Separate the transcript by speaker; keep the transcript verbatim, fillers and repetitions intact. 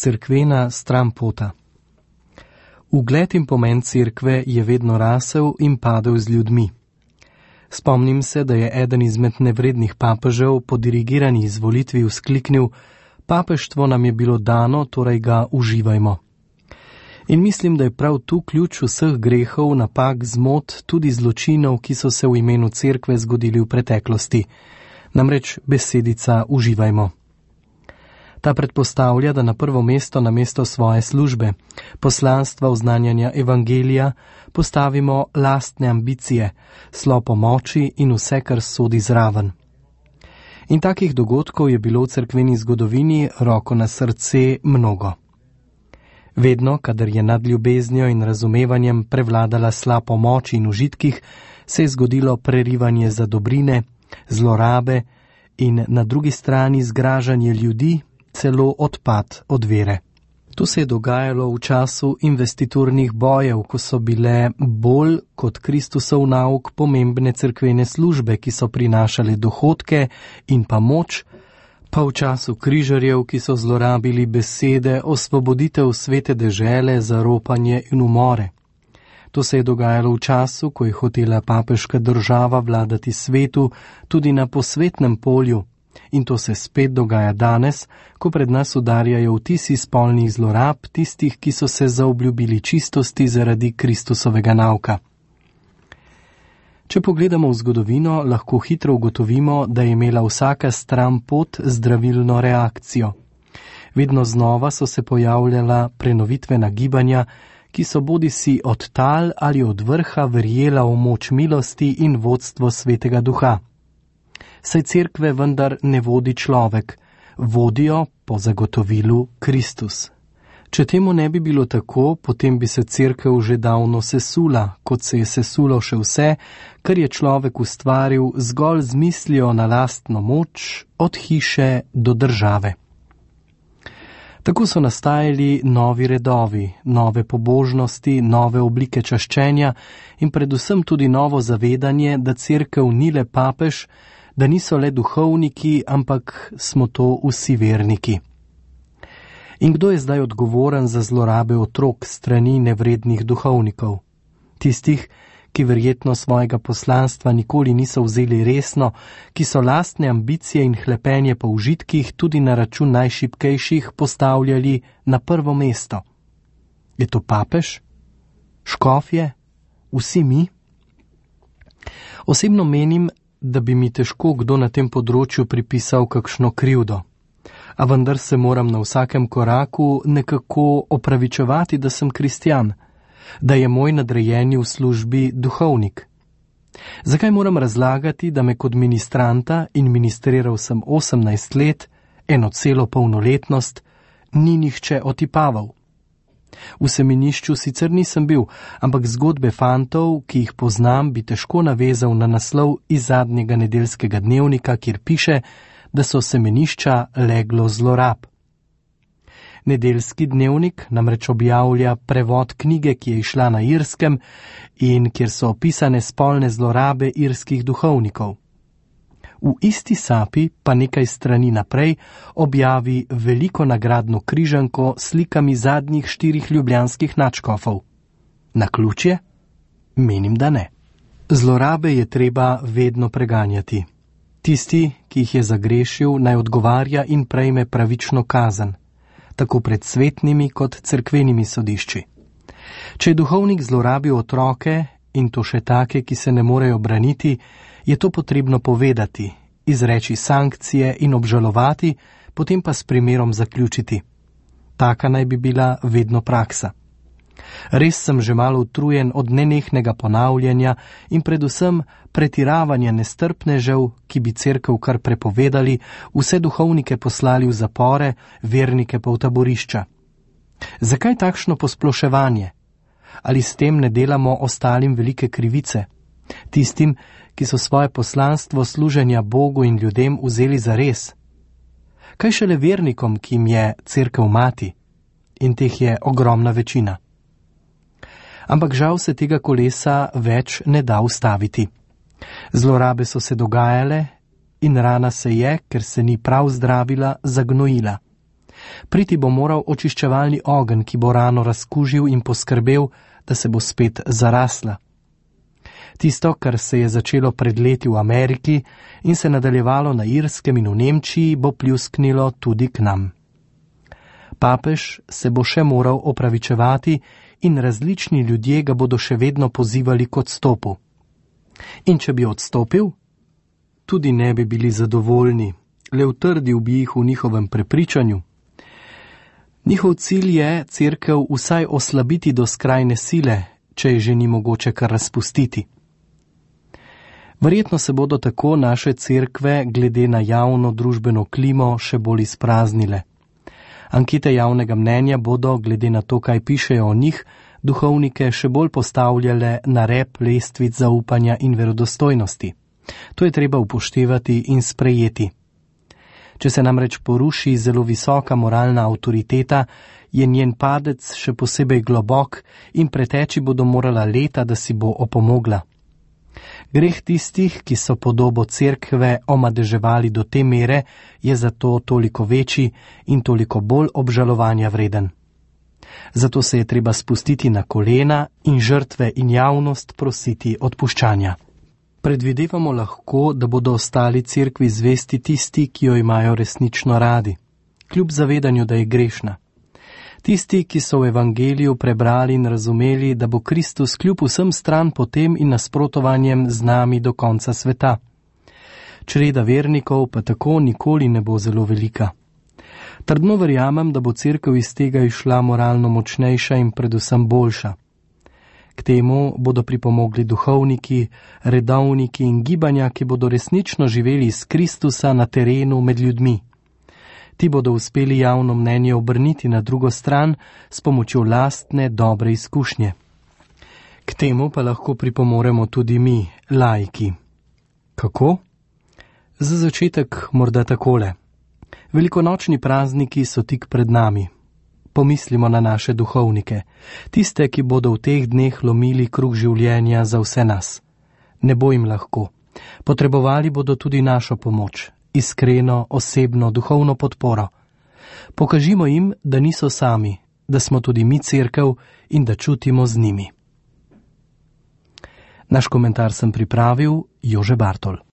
Speaker 1: Cerkvena stranpota. Ugled in pomen cerkve je vedno rasel in padel z ljudmi. Spomnim se, da je eden izmed nevrednih papežev po dirigirani izvolitvi vzkliknil: papeštvo nam je bilo dano, torej ga uživajmo. In mislim, da je prav tu ključ vseh grehov, napak, zmot, tudi zločinov, ki so se v imenu cerkve zgodili v preteklosti. Namreč besedica uživajmo. Ta predpostavlja, da na prvo mesto namesto svoje službe, poslanstva oznanjanja evangelija, postavimo lastne ambicije, slopo moči in vse, kar sodi zraven. In takih dogodkov je bilo v cerkveni zgodovini, roko na srce, mnogo. Vedno, kadar je nad ljubeznijo in razumevanjem prevladala slaba pomoč in užitkih, se je zgodilo prerivanje za dobrine, zlorabe in na drugi strani zgražanje ljudi, celo odpad od vere. To se je dogajalo v času investiturnih bojev, ko so bile bolj kot Kristusov nauk pomembne cerkvene službe, ki so prinašale dohodke in pa moč, pa v času križarjev, ki so zlorabili besede osvoboditev svete dežele za ropanje in umore. To se je dogajalo v času, ko je hotela papeška država vladati svetu tudi na posvetnem polju, in to se spet dogaja danes, ko pred nas udarjajo vtisi spolnih zlorab tistih, ki so se zaobljubili čistosti zaradi Kristusovega nauka. Če pogledamo v zgodovino, lahko hitro ugotovimo, da je imela vsaka stran pot zdravilno reakcijo. Vedno znova so se pojavljala prenovitvena gibanja, ki so bodisi od tal ali od vrha verjela v moč milosti in vodstvo Svetega Duha. Saj cerkve vendar ne vodi človek, vodijo po zagotovilu Kristus. Če temu ne bi bilo tako, potem bi se cerkev že davno sesula, kot se je sesulo še vse, kar je človek ustvaril zgolj z mislijo na lastno moč, od hiše do države. Tako so nastajali novi redovi, nove pobožnosti, nove oblike čaščenja in predvsem tudi novo zavedanje, da cerkev ni le papež, da niso le duhovniki, ampak smo to vsi verniki. In kdo je zdaj odgovoren za zlorabe otrok strani nevrednih duhovnikov? Tistih, ki verjetno svojega poslanstva nikoli niso vzeli resno, ki so lastne ambicije in hlepenje po užitkih tudi na račun najšibkejših postavljali na prvo mesto. Je to papež? Škofje? Vsi mi? Osebno menim, da bi mi težko kdo na tem področju pripisal kakšno krivdo. A vendar se moram na vsakem koraku nekako opravičevati, da sem kristjan, da je moj nadrejeni v službi duhovnik. Zakaj moram razlagati, da me kot ministranta, in ministriral sem osemnajst let, eno celo polnoletnost, ni nihče otipaval? V semenišču sicer nisem bil, ampak zgodbe fantov, ki jih poznam, bi težko navezal na naslov iz zadnjega nedeljskega dnevnika, kjer piše, da so semenišča leglo zlorab. Nedeljski dnevnik namreč objavlja prevod knjige, ki je izšla na Irskem in kjer so opisane spolne zlorabe irskih duhovnikov. V isti sapi pa nekaj strani naprej objavi veliko nagradno križanko s slikami zadnjih štirih ljubljanskih nadškofov. Naključje? Menim, da ne. Zlorabe je treba vedno preganjati. Tisti, ki jih je zagrešil, naj odgovarja in prejme pravično kazen, tako pred svetnimi kot cerkvenimi sodišči. Če je duhovnik zlorabil otroke, in to še take, ki se ne morejo braniti, je to potrebno povedati, izreči sankcije in obžalovati, potem pa s primerom zaključiti. Taka naj bi bila vedno praksa. Res sem že malo utrujen od nenehnega ponavljanja in predvsem pretiravanja nestrpnežev, ki bi cerkev kar prepovedali, vse duhovnike poslali v zapore, vernike pa v taborišča. Zakaj takšno posploševanje? Ali s tem ne delamo ostalim velike krivice? Tistim, ki so svoje poslanstvo služenja Bogu in ljudem vzeli za res? Kaj šele vernikom, ki jim je cerkev mati? In teh je ogromna večina. Ampak žal se tega kolesa več ne da ustaviti. Zlorabe so se dogajale in rana se je, ker se ni prav zdravila, zagnojila. Priti bo moral očiščevalni ogenj, ki bo rano razkužil in poskrbel, da se bo spet zarasla. Tisto, kar se je začelo pred leti v Ameriki in se nadaljevalo na Irskem in v Nemčiji, bo pljusknilo tudi k nam. Papež se bo še moral opravičevati in različni ljudje ga bodo še vedno pozivali k odstopu. In če bi odstopil, tudi ne bi bili zadovoljni, le utrdil bi jih v njihovem prepričanju. Njihov cilj je cerkev vsaj oslabiti do skrajne sile, če je že ni mogoče kar razpustiti. Verjetno se bodo tako naše cerkve glede na javno družbeno klimo še bolj izpraznile. Ankete javnega mnenja bodo, glede na to, kaj pišejo o njih, duhovnike še bolj postavljale na rep lestvic zaupanja in verodostojnosti. To je treba upoštevati in sprejeti. Če se namreč poruši zelo visoka moralna avtoriteta, je njen padec še posebej globok in preteči bodo morala leta, da si bo opomogla. Greh tistih, ki so podobo cerkve omadeževali do te mere, je zato toliko večji in toliko bolj obžalovanja vreden. Zato se je treba spustiti na kolena in žrtve in javnost prositi odpuščanja. Predvidevamo lahko, da bodo ostali cerkvi zvesti tisti, ki jo imajo resnično radi, kljub zavedanju, da je grešna. Tisti, ki so v evangeliju prebrali in razumeli, da bo Kristus kljub vsem stran potem in nasprotovanjem z nami do konca sveta. Čreda vernikov pa tako nikoli ne bo zelo velika. Trdno verjamem, da bo cerkev iz tega išla moralno močnejša in predvsem boljša. K temu bodo pripomogli duhovniki, redovniki in gibanja, ki bodo resnično živeli iz Kristusa na terenu med ljudmi. Ti bodo uspeli javno mnenje obrniti na drugo stran s pomočjo lastne dobre izkušnje. K temu pa lahko pripomoremo tudi mi, laiki. Kako? Za začetek morda takole. Velikonočni prazniki so tik pred nami. Pomislimo na naše duhovnike, tiste, ki bodo v teh dneh lomili kruh življenja za vse nas. Ne bo jim lahko. Potrebovali bodo tudi našo pomoč, iskreno, osebno, duhovno podporo. Pokažimo jim, da niso sami, da smo tudi mi cerkev in da čutimo z njimi. Naš komentar sem pripravil Jože Bartol.